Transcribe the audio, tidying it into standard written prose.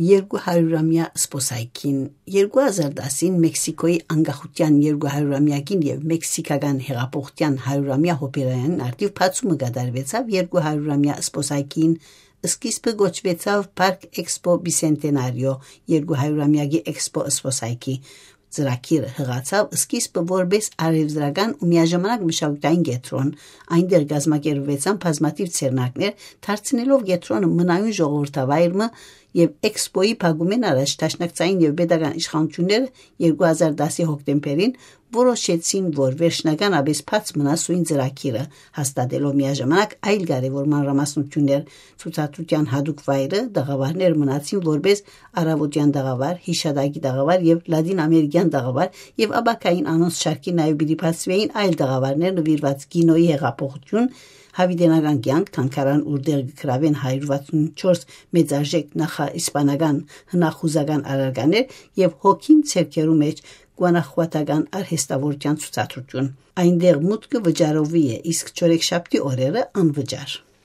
200-ամյա սպոսայքին 2010-ին Մեքսիկոյի անկախության 200-ամյակին եւ մեքսիկական հեղափոխության 100-ամյա հոբելյանին արդիվ բացումը կատարվեցավ 200-ամյա սպոսայքին սկիզբը գոչվեցավ Park Expo Bicentenario 200-ամյակի Expo սպոսայքի ծրագիրը հղացավ սկիզբը որպես արևծրական ու միաժամանակ մշակութային կենտրոն այնտեղ կազմակերպվեցան բազմաթիվ ցերնակներ դարձնելով կենտրոնը մնայուն ժողովրդավայրը եւ էքսպոյի փակումեն առաջ տաշնակցային եւ պետական իշխանությունները 2010-ի հոկտեմբերին որոշեցին, որ վերջնական աբես բաց մնա սույն ծրագիրը, հաստատելով միաժամանակ այլ կարևոր մանրամասնություններ ցուցադրության հadoop վայրը դաղավարներ մնացին որպես արավոտյան դաղավար, հիշադակի դաղավար եւ լատին ամերիկյան դաղավար եւ աբակային անոնց շարքի նաեւ բիդիփացվեին այլ դաղավարներ նվիրված կինոյի հեղափոխություն հավիտենական կյանք թանկարան ուրդեղ գրավեն 164 մեծարժեք նախաիսպանական հնախուզական արարկաներ եւ հոգին ցերկերու մեջ գանախվատական արհեստավորության ցուցադրություն այնտեղ մուտքը վճարովի է իսկ չորեքշաբթի օրերը անվճար